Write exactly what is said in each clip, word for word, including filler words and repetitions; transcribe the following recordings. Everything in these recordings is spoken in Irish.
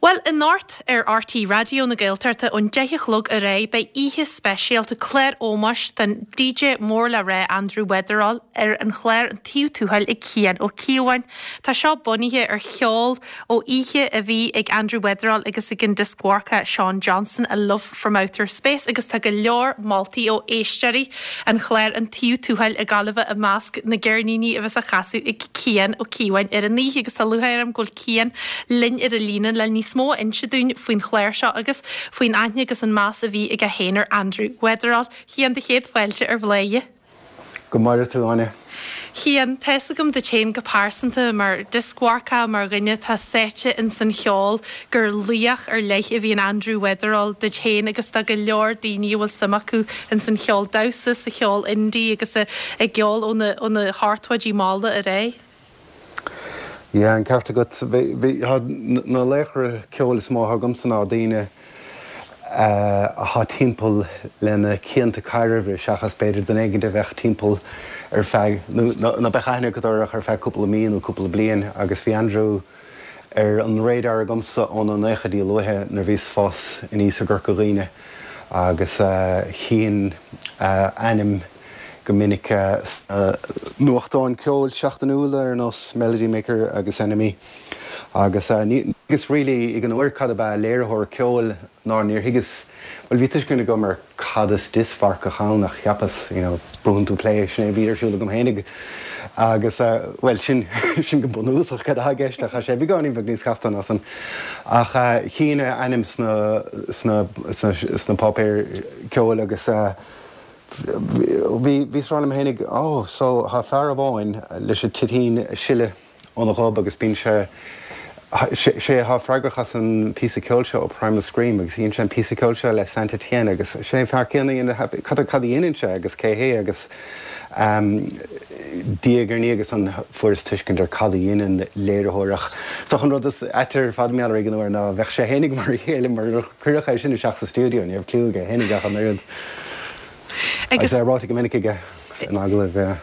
Well, anocht ar R T Raidió na Gaeltachta ón deich a chlog ar aghaidh beidh oíche speisialta, clár ómóis don D J mór le rá Andrew Weatherall ar an chlár An Taobh Tuathail ag Cian Ó Cíobháin. Tá seo bunaithe ar cheol ó oíche a bhí ag Andrew Weatherall agus ag an dioscmharcach Sean Johnson, A Love from Outer Space, agus tá go leor moltaí ó éisteoirí an chláir An Taobh Tuathail i Gaillimh i measc na gceirníní a bheas á chasadh ag Cian Ó Cíobháin ar an oíche. Agus tá lúcháir orm go bhfuil Cian linn ar an líne le níos mó a inse dúinn faoin chlár seo agus faoin aithne agus an meas a bhí aige féin ar Andrew Weatherall. Cian, do chéad fáilte ar Bhladhaire. Go maire tú, Áine. Cian, tá a fhios agam duit féin go pearsanta mar dioscmharcach, mar dhuine atá sáite in san cheol, gur laoch ar leith a bhí in Andrew Weatherall duit féin agus tá go leor daoine a bhfuil suim acu in san cheol damhsa, sa cheol indie agus i gceol ó na ó na hochtóidí malla ar aghaidh. Ja, an ceart agat. Na laochra ceoil is mó agamsa ná daoine atá timpeall lena cianta cairimh seachas b'fhéidir duine éigin a bheith timpeall ar feadh na bechaine go ar feadh cúpla mí nó cúpla bliain. Agus bhí Andrew ar an radar agamsa ó na nóchaidí luatha nuair a bhíos ag fás aníos i gCorca Dhuibhne agus tchínn a ainm go minic uh, nuachtáin ceoil seachtainiúla ar nós Melody Maker agus N M E. Agus uh, agus really ag an uair cad ab ea léiritheoir ceoil ná níor thuigeas, well, bhí tuiscint agam ar cad is dioscmharcach ann ach cheapas you know, brúnn tú play, sin é bhí ar siúl agam féinig. Agus uh, well, sin sin go bunúsach cad atá i gceist ach sé beagáinín bheag níos casta ná sin, ach uh, tchínn a ainm sna sna sna sna páipéir ceoil agus uh, bhí bhí rá hénig ó so tá fear amháin leis an toitín sileadh óna ghob agus bíonn sé sé atá freagrach as an píosa ceoil seo ó Primal Scream agus dhein sé an píosa ceoil seo le Saint Etienne agus sé fear céanna cad cad a dhéanann sé agus cé hé? Agus um, diaidh ar ndiaidh agus an fuaireas tuiscint ar cad a dhéanann léiritheoir. So an rud is air fad mear an uair ná bheadh sé féinig mar chéile mar chuireach é sin isteach sa stiúideo, ní raibh clue aige féinig ach an oiread. Agus é ráite go minic aige in agallaimh.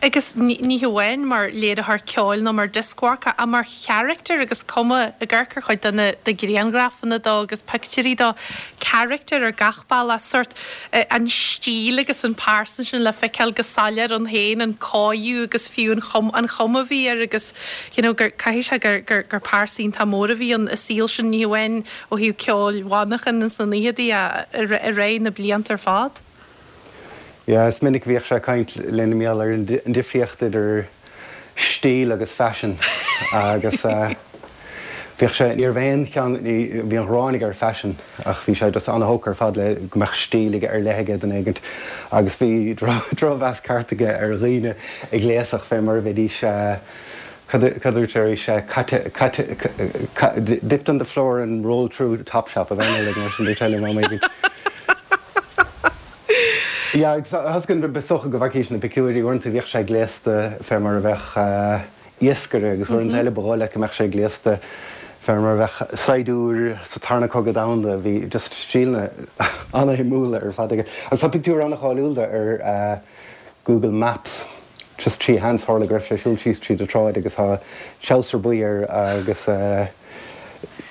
Agus ní hamháin mar léiritheoir ceoil nó mar dioscmharcach ach mar charachtar agus cuma ag amharc ar chuid de na de ghrianghrafanna dó agus pictiúirí dó, charachtar ar gach bealach, sórt an stíl agus an pearsan sin le feiceáil go soiléir ann féin, an cóú agus fiú an chum an chuma a bhí air agus you know, gur caithfidh sé gur gur gur pearsa iontach mór a bhí ann i saol sin, ní hamháin ó thaobh ceoil mhanchain sna naochaidí i ré na blianta ar fad. Ja, is minic bhíodh sé ag caint linn mar gheall ar an difríocht idir stíl agus fashion agus uh, bhíodh sé ní bhíonn bhí an ghráin ar fashion ach bhí sé just an-thógtha ar fad le go mbeadh stíl ar leith aige duine éigin agus bhí drochmheas ceart aige ar dhaoine ag gléasadh fé mar a bheidís cad sé "dipped on the floor and rolled through Topshop" a bheith le mar sin tele má. Ja, has go besocha go bhhaicís na picúirí ornta bhíoh sé gléasta fé mar a bheith iascaire agus uaireanta eile ba dhóigh leat go mbeadh sé gléasta fé mar a bheith saighdiúir sa Tarna Cogadh Domhanda. Bhí just stíleanna an-shuimiúla ar fad aige. Agus tá pictiúr an-cháiliúil de ar uh, Google Maps, just trí sheans tharla go raibh sé ag siúl síos tríd an tsráid agus tá treabhsar buí air agus uh,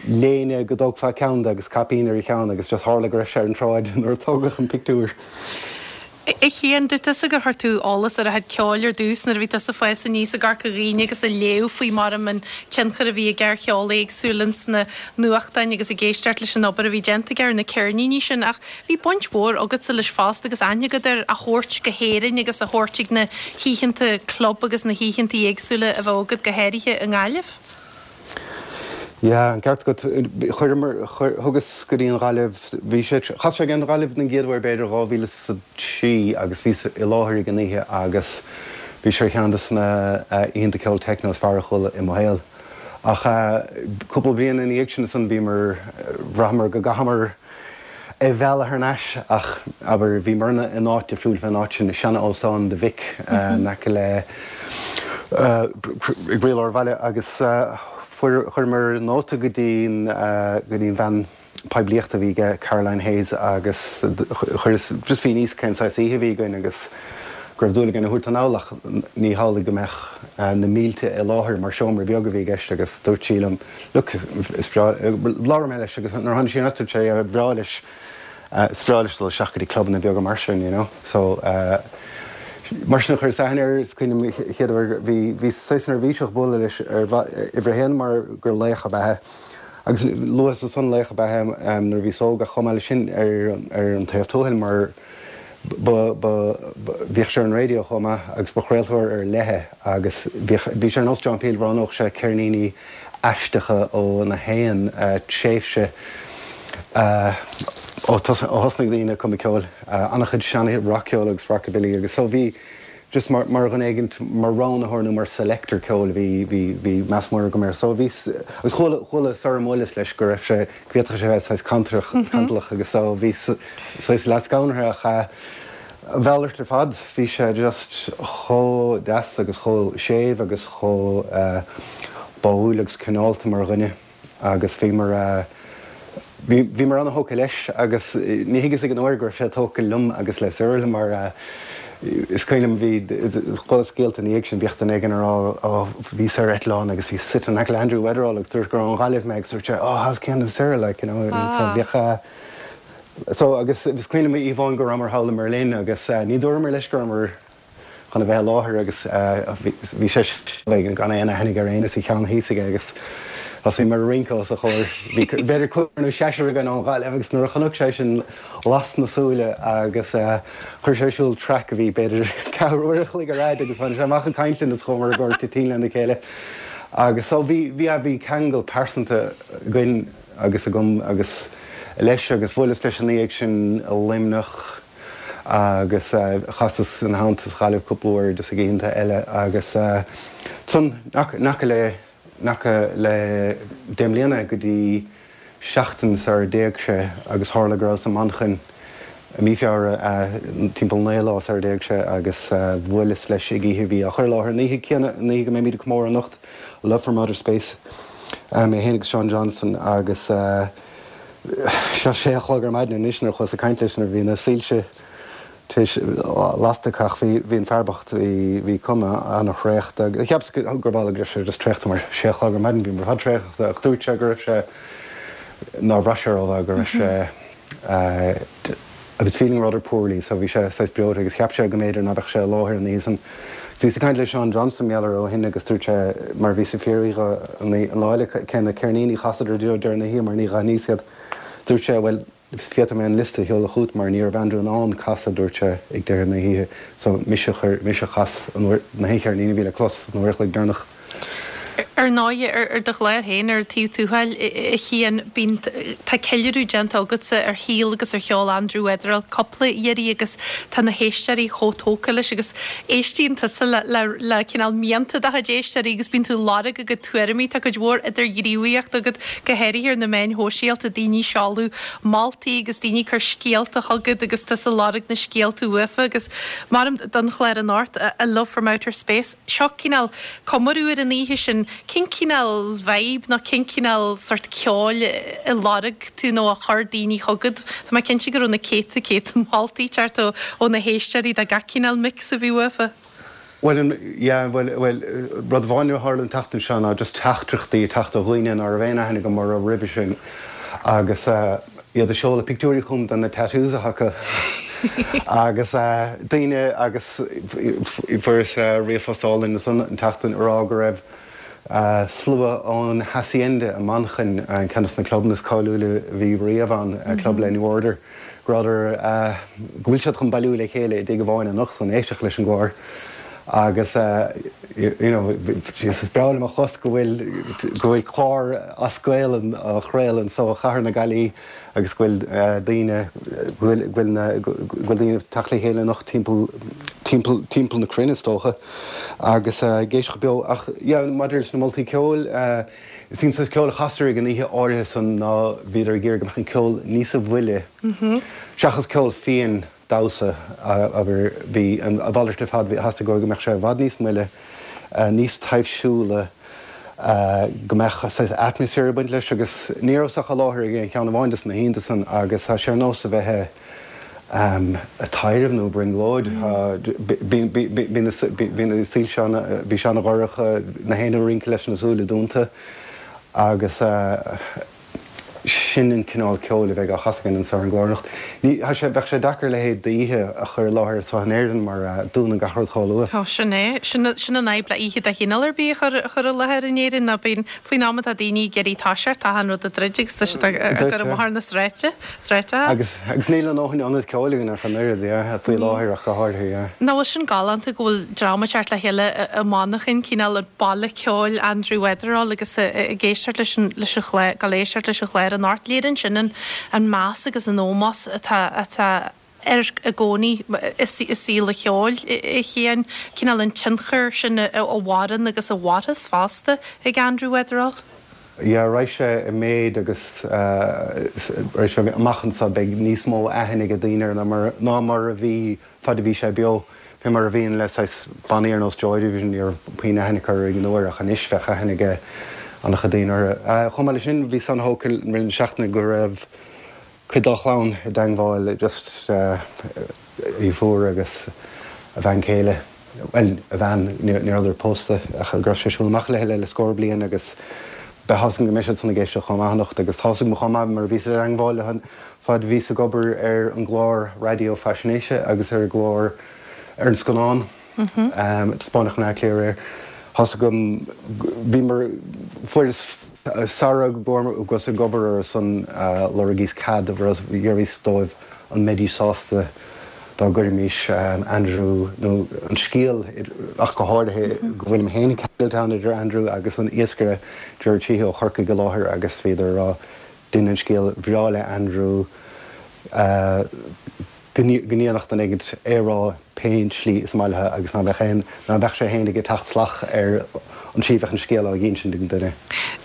léine go dtógfá ceann agus caipín ar a cheann agus just tharla go raibh sé ar an tsráid nuair a tógadh an pictiúr. A Chiain, dúirt tusa gur chuir tú eolas ar a chuid ceoil ar dtús nuair a bhí tusa ag fás aníos i gCorca Dhuibhne agus ag léamh faoi mar an tionchar a bhí aige ar cheol éagsúil sna nuachtáin agus ag éisteacht leis an obair a bhí déanta aige ar na ceirníní sin, ach bhí baint mhór agatsa leis fosta agus aithne agat air a thabhairt go hÉirinn agus a thabhairt ag na hoícheanta club agus na hoícheanta éagsúla a bheith agat, go háirithe i nGaillimh. Ja, an ceart agat. Chuir thugas go dtí an Ghaillimh, bhí sé chas sé an Ghaillimh den gcéad uair b'fhéidir dhá mhíle trí agus bhí i láthair ag an oíche agus bhí sé ceann de na oícheanta ceol techno is fearr a chuala i mo shaol. Ach cúpla bliain ina dhiaidh sin san bhíomar bhraitheamar go gcaithfeamar é a mhealladh thar n-ais, ach abair bhíomar in áit difriúil fén áit sin, sean-óstán The Vic in aice le i gcroílár an bhaile, agus chuireamar nóta go dtí go dtí an bhean poiblíochta a bhí aige, Caroline Hayes, agus chuir just bhí níos cén saghas oíche a bhí againn agus go raibh dúil aige ina thabhairt anall ach ní hamhlaidh go mbeadh na mílte i láthair mar seomra beag a bhí i gceist agus dúirt sí liom look is breá labhair mé leis agus nuair a tháinig sí anocht dúirt sé yeah breá leis is breá leis dul isteach go dtí clubanna beaga mar sin you know so mar sin a chuireas aithne air is cuimhin liom an chéad uair bhí bhí saghas neirbhíseach bualadh leis ar uimhir a haon mar gur laoch ab ea é agus luas ansan laoch ab ea é nuair a bhíos óg ach chomh maith leis sin ar ar an taobh tuathail mar ba, ba, bhíodh sé ar an raidió chomh maith agus ba chraoltóir ar leith é agus bhíodh, bhí sé ar nós John Peel, roghnódh sé ceirníní aisteacha ó na haon tréimhse ó thosnaigh daoine ag cumadh ceoil, an-chuid sean-rac-cheoil agus rockabilly agus so bhí just mar, mar dhuine éigint, mar roghnaitheoir nó mar selector ceoil bhí, bhí, bhí meas mór agam air. So bhí, agus chuala, chuala sara mbuaileas leis go raibh sé, go bhféadfadh sé bheith saghas cantalach, cantalach agus so bhí saghas leath-scanraithe ach a mhalairt ar fad, bhí sé just chomh deas agus chomh séimh agus chomh báúil agus cineálta mar dhuine agus bhíomar, bhí, bhíomar an-tógtha leis agus ní thuigeas ag an uair go raibh sé tógtha liom agus le Cyril mar Is cuimhin liom, bhí, chuala scéalta ina dhiaidh sin, bhíodh duine éigin ag rá, oh, bhíos ar eitleán agus bhíos suite in aice le Andrew Weatherall agus dúirt gur ón Ghaillimh mé agus dúirt sé, oh, how's Cian and Cyril like, you know, so bhíodh eh, so agus is cuimhin liom oíche amháin go rabhamar thall i mBerlin agus eh, ní dúramar leis go rabhamar chun a bheith i láthair agus bhí sé gan aon aithne aige ar éinne is a cheann thíos aige agus thosaíomar ag rince os a chomhair. Bhí b'fhéidir cúigear nó seisear againn ón Ghaillimh agus nuair a chonaic sé sin las na súile agus chuir sé ar siúl traic a bhí b'fhéidir ceathrú uair a chloig ar fhad agus tháinig sé amach ag caint linn is chuamar ag toitín lena chéile agus so bhí bhí bhí ceangal pearsanta againn agus agam agus leis agus bhuaileas leis ina dhiaidh sin i Luimneach agus chasas ina theannta sa Ghaillimh cúpla uair just ag oícheanta eile agus ansan in aice le in aice le deich mbliana go dtí seachtain sar d'éag sé agus tharla go rabhas i Manchain i mí Feabhra timpeall naoi lá sar d'éag sé agus bhuaileas leis ag oíche a bhí á chur i láthair an oíche chéanna an oíche go mbeimid ag comóradh anocht Love from Outer Space mé féin agus Seán Johnston agus Seo sé a chlog ar maidin anois nuair a chuas ag caint leis nuair a bhí na soilse tar éis lasta ach bhí bhí an fear bocht bhí bhí cuma an-thraochta agus cheapas gurb amhlaidh go raibh sé just traochta mar sé a chlog ar maidin bhíomar ar fad traochta ach dúirt sé go raibh sé nár bhraith sé rómhaith go raibh sé I was feeling rather poorly so bhí sé saghas breoite agus cheap sé go mb'fhéidir ná beadh sé i láthair an oíche san. Bhíos ag caint le Seán Johnston mar gheall air ó shin agus dúirt sé mar bhíos ag fiafraí dho an lá eile cé na ceirníní a chasadar deo deireadh na hoíche mar ní dh'aithníos iad. Dúirt sé bhuel féadfaidh mé an liosta a sheoladh chugat mar ní raibh Andrew in ann casadh dúirt sé ag deireadh na hoíche so mise a chuir mise a chas an uair na haon cheirnín a bhí le clos an uair a chloig deireanach. Ar ndóigh, ar do chlár féin, ar Taobh Tuathail, a Chiain, bíonn, tá ceiliúradh déanta agatsa ar shaol agus ar cheol Andrew Weatherall cúpla iarraidh agus tá na héisteoirí chomh tógtha leis agus éistíonn tusa le, le, le cineál mianta do chuid éisteoirí agus bíonn tú ag lorg a gcuid tuairimí. Tá cuid mhór idirghníomhaíocht agat, go háirithe ar na meáin shóisialta, daoine ag seoladh moltaí agus daoine ag cur scéalta chugat agus tusa ag lorg na scéalta uafa agus mar don chlár anocht, A Love from Outer Space, seo cineál comóradh ar an oíche sin, cén cineál vibe nó cén cineál sort ceoil a lorg tú nó a chuir daoine chugat? Tá mé cinnte go raibh na céadta céadta moltaí ag teacht ó ó na héisteoirí de gach cineál mix a bhí uafa. Bhuel, an, yeah, bhuel, bhuel, rud amháin a tharla an tseachtain seo ná just teachtaireachtaí ag teacht ó dhaoine ná raibh aon aithne agam orthu roimhe sin agus iad ag seoladh pictiúirí chugam de na tattoos atá acu agus daoine agus fuaireas ríomhphost álainn ansan an tseachtain ag rá go raibh slua ón Hacienda i Manchain, ceann de na clubanna is cáiliúla a bhí riamh ann, club le New Order, go rabhadar, go bhfuil siad chun bailiú le chéile i dtigh amháin anocht chun éisteacht leis an gclár agus you know is breá liom a chlos go bhfuil go bhfuil clár as Gaelainn á chraoladh anso i chathair na Gaillimhe agus go bhfuil daoine go bhfuil go bhfuil na go bhfuil daoine ag teacht le chéile anocht timpeall timpeall timpeall na cruinne is dócha agus ag éisteacht beo ach yeah maidir leis na moltaí ceoil is an saghas ceoil a chastar ag an oíche áirithe san ná bhíodar ag iarraidh go mbeadh an ceol níosa mhoille seachas ceol fiáin damhsa, abair. Bhí a mhalairt ar fad, bhí, theastaigh uathu go mbeadh sé i bhfad níos moille, níos taibhsiúla, go mbeadh saghas atmaisféar ag baint leis agus ní rabhas ach i láthair ag aon cheann amháin de na hoícheanta san agus tá sé ar nós a bheith Taidhreamh nó brionglóid. Bhí na saoil bhí sé an-dhorcha, na héinne ag rince leis na súile dúnta agus sin an cineál ceoil a bheidh á chasadh againn anseo ar an gclár anocht. Ní, tá sé, bheadh sé deacair a leithéid d'oíche a chur i láthair anseo in Éirinn mar dúnann gach rud chomh luath. Tá, sin é. Sin, sin an fhadhb le oíche de chineál ar bith a chur, a chur i láthair in Éirinn ná bíonn, faoin am atá daoine ag iarraidh toiseacht, tá achan rud ag druid agus tá siad ag, ag cur amach ar na sráide, sráide. Agus, agus níl a ndóthain ionad ceoil againn ach an oiread, yeah, faoi láthair ach go háirithe, yeah. Nach bhfuil sin galánta go bhfuil dream ag teacht le chéile i Manchain, cineál an baile ceoil Andrew Weatherall agus ag éisteacht leis an, leis an chlár, ag éisteacht leis an chlár anocht. Léiríonn sin an, an meas agus an ómós atá, atá air i gcónaí i saol an cheoil, a Chiain, cineál an tionchar sin a mhaireann agus a mhairfeas fosta ag Andrew Weatherall. Yeah, raghaidh sé i méid agus raghaidh sé amach anseo beidh níos mó aithne ag daoine air ná mar ná mar a bhí fad a bhí sé beo. Fé mar a bhíonn le saghas bannaí ar nós Joy Division, ní raibh puinn aithne acu ag an uair ach anois bheadh aithne ag an-chuid daoine orthu. Chomh maith leis sin bhíos an-thógtha i rith na seachtaine go raibh cuid dá chlann i dteangmháil just a dheirfiúr agus a bhean chéile, bhuel, a bhean, ní rabhadar pósta ach go raibh sé ag siúl amach léi le scór bliain agus beidh tá's agam go mbeidh siad san ag éisteacht chomh maith anocht agus tá's agam chomh maith mar bhíos i dteangmháil leo fad a bhíos ag obair ar an gclár raidió faisnéise agus ar an gclár ar an scannán a taispeánadh in Áth Cliath aréir. Tá's agam, bhíomar, fuaireas sara rabhas ag obair ar son lorgaíos cead d'fhiafraíos dóibh an mbeidís sásta dá gcuirfimis Andrew nó an scéal ach go háirithe go bhfuilim féin ceangailte ann idir Andrew agus an iascaire Gerard Sheehy ó Chorcaigh i láthair agus bhíodar ag rá dein an scéal bhreá le Andrew go ndéanfadh duine éigin é a rá pén tslí is maith leo agus ná beadh aon, ná beadh sé féin ag teacht salach ar an tslí a bheadh an scéal á dh'insint ag an duine.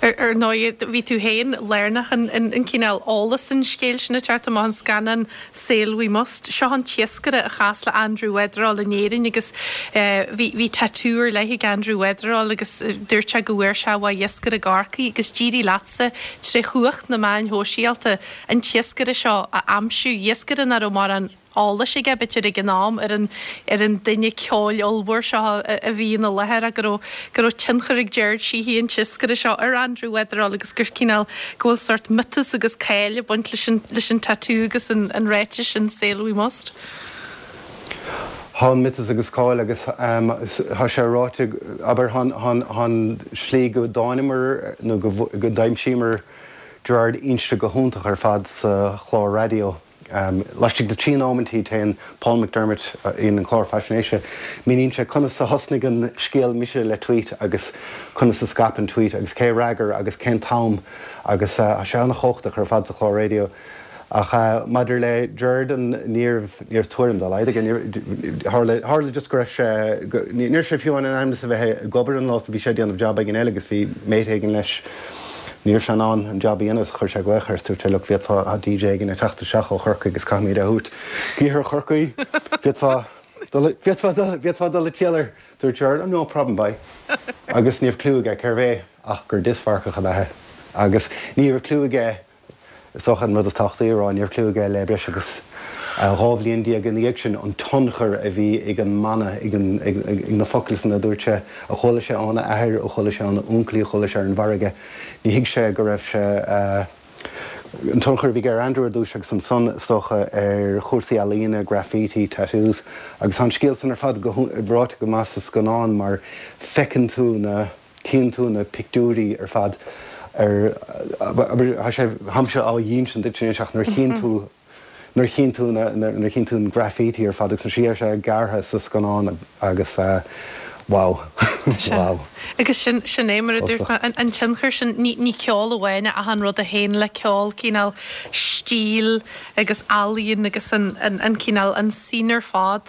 Ar ndóigh, bhí tú féin lárnach in cineál eolas an scéil sin ag teacht amach, an scannán Sail We Must. Seo an t-iascaire a chas le Andrew Weatherall in Éirinn agus bhí bhí tatú ar leith ag Andrew Weatherall agus dúirt sé go bhfuair sé uaidh iascaire i gCorcaigh agus d'éirigh leatsa tré chumhacht na meáin shóisialta an t-iascaire seo a aimsiú, iascaire nach raibh mórán eolais aige, b'fhéidir, ag an am ar an ar an duine ceoil ollmhór seo a bhí ina láthair ach go raibh go raibh tionchar ag Gerard Sheehy an t-iascaire seo ar Andrew Weatherall agus gur cineál go bhfuil sórt miotas agus cáil ag baint leis an leis an tatú agus an an ráiteas sin Sail We Must. Tá an miotas agus cáil agus tá sé ráite, abair, tá an slí go dtánamar nó go go d'aimsíomar Gerard inste go hiontach ar fad sa chlár raidió. Laistigh de trí nóimintí téann Paul McDermott in an clár faisnéise, míníonn sé conas a thosnaigh an scéal mise le tweet agus conas a scaip an tweet agus cé a fhreagair agus cén t-am agus tá sé an-chumhachtach ar fad sa chlár raidió. Ach maidir le Gerard ní raibh ní raibh tuairim dá laghad aige. Tharla tharla just go raibh sé ní raibh sé fiú in ainm is a bheith ag obair an lá bhí sé ag déanamh jab éigin eile agus bhí mate éigin leis. Ní raibh sé in ann an jab a dhéanamh chuir sé glaoch air dúirt sé look bhféadfá tá DJ éigin ag teacht isteach ó Chorcaigh agus caithfimid é a thabhairt go hiarthar Chorcaí. Bhféadfá bhféadfá bhféadfá dul ag triall air. Dúirt Gerard no problem bye. Agus ní raibh clue aige cérbh é ach gur dioscmharcach ab ea é. Agus ní raibh clue aige is dócha an rud is tábhachtaí a rá, ní raibh clue aige le breis agus dhá bhliain déag ina dhiaidh sin an tionchar a bhí ag an mana, ag an, ag na focail san a dúirt sé, a chuala sé óna athair, a chuala sé óna uncailí, a chuala sé ar an bhfarraige. Ní thuig sé go raibh sé, an tionchar a bhí aige ar Andrew ar dtús agus ansan is dócha ar chúrsaí ealaíne, graffiti, tattoos agus tá an scéal san ar fad go ráite go maith sa scannán mar feiceann tú na, Chíonn tú na pictiúirí ar fad ar, tá sé, táimse á dh'insint duit anois ach nuair a chíonn tú, nuair a chíonn tú na, nuair a chíonn tú an graffiti ar fad agus an slí a raibh sé gearrtha sa scannán agus wow, wow. Agus sin, sin é mar a dúirt mé, an tionchar sin, ní, ní ceol amháin ach an rud a théann le ceol, cineál stíl agus ealaíon agus an, an, an cineál, an scene ar fad.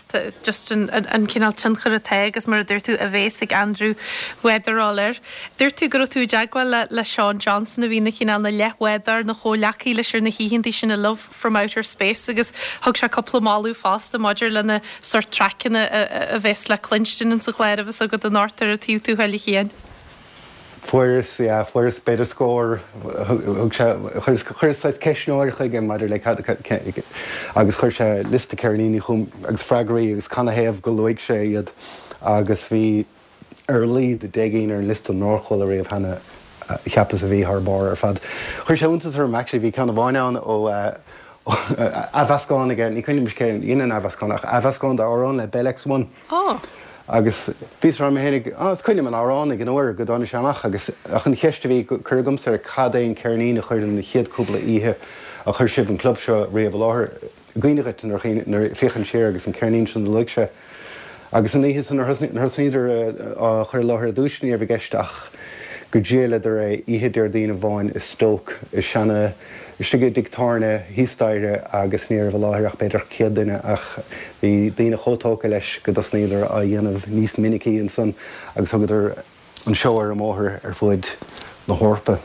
just an cineál tionchair atá agus mar a dúirt tú a bhéas ag Andrew Weatherall air. Dúirt tú go raibh tú i dteagmháil le Sean Johnson a bhí ina chineál ina leathbhádóir, ina chomhghleacaí leis ar na hoícheanta sin i Love from Outer Space agus thug sé cúpla moladh fosta maidir le na sórt traiceanna a bheas le cluinstin insa chlár a bheas agat anocht ar an Taobh Tuathail a Chiain. Fuaireas yeah, fuaireas b'fhéidir scór thug sé chuireas chuireas saghas ceistneoir chuige maidir le cad agus chuir sé liosta ceirníní chugam agus freagraí agus canathaobh go luaigh sé iad agus bhí ar a laghad deich gcinn ar an liosta nár chuala riamh cheana cheapas a bhí thar barr ar fad. Chuir sé iontas orm actually bhí ceann amháin ann ó athmheascán aige ní cuimhin liom cé dhein an athmheascán ach athmheascán d'amhrán le Bell X One. Oh. Agus bhíos ag rá liom féinig ah, is cuimhin liom an amhrán ag an uair go dtáinig sé amach agus ach an cheist a bhí curtha agamsa air cad é an ceirnín a chuir na chéad cúpla oíche a chuir sibh an club seo riamh i láthair. I gcuimhne dhuit nuair féachann siar agus an ceirnín sin a luaigh sé. Agus an oíche san nuair thosnaíodar á chur i láthair ar dtús ní raibh i gceist ach go ndíoladar é oíche Déardaoin amháin i Stoke i seana istigh i dtigh tábhairne thíos staighre agus ní raibh i láthair ach b'fhéidir céad duine ach bhí daoine chomh tógtha leis go dtosnaíodar á dhéanamh níos minicí ansan agus thugadar an seó ar an mbóthar ar fud na hEorpa.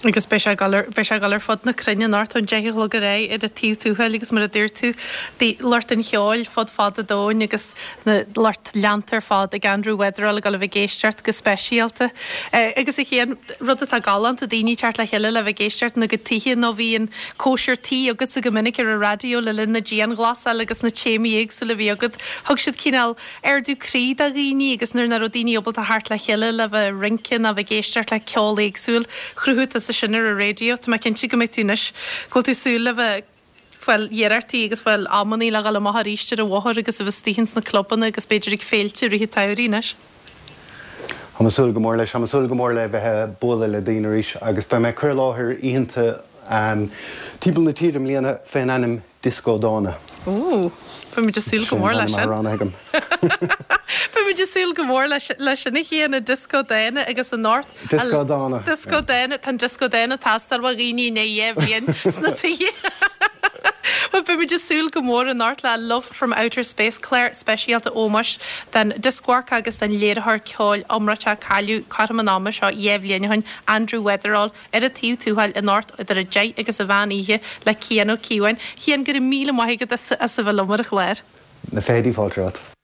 Agus beidh sé ag dul ar beidh sé ag dul ar fud na cruinne anocht ón deich a chlog ar aghaidh ar an taobh tuathail agus mar a dúirt tú de lucht an cheoil fud fad an domhain agus na lucht leanta ar fad ag Andrew Weatherall ag dul a bheith ag éisteacht go speisialta. Agus a Chian, rud atá galánta, daoine teacht le chéile le bheith ag éisteacht ina gcuid tithe nó bhí an cóisir tí agatsa go minic ar an raidió le linn na dianghlasála agus na téamaí éagsúla a bhí agat. Thug siad cineál ardú croí do dhaoine agus nuair nach raibh daoine ábalta theacht le chéile le bheith ag rince nó bheith ag éisteacht le ceol éagsúil, chruthaigh tusa sin ar an raidió. Tá mé cinnte go mbeidh tú anois, go bhfuil tú súil le bheith ag fáil iarrachtaí agus fáil amannaí le dhul amach arís ar an bhóthar agus a bheith istigh ins na clubanna agus b'fhéidir ag féilte i rith an tsamhraidh anois. Tá mé ag súil go mór leis, tá mé ag súil go mór le bheith ag bualadh le daoine arís agus beidh mé ag cur i láthair oícheanta timpeall na tíre i mbliana fén ainm Dioscó Dána. Ooh, beidh muid ag súil go Sin mór an leis ainm sin. a roghnaithe agam. Beidh muid ag súil go mór leis leis sin a Chian, Dioscó Dána agus anocht. Dioscó Dána. Dioscó Dána, tá an Dioscó Dána ag teastáil ó dhaoine i ndiaidh dhá bhliain sna tithe. Bhuel, beidh muid ag súil go mór anocht le Love from Outer Space, clár speisialta ómóis don dioscmharcach agus don léiritheoir ceoil iomráiteach a cailleadh cothrom an ama seo dhá bhliain ó shin, Andrew Weatherall, ar an taobh tuathail anocht idir a deich agus an mheán oíche le Cian Ó Cíobháin. Cian, go raibh míle maith agat as a bheith liom ar an chlár. Na fichidí fáilte romhat.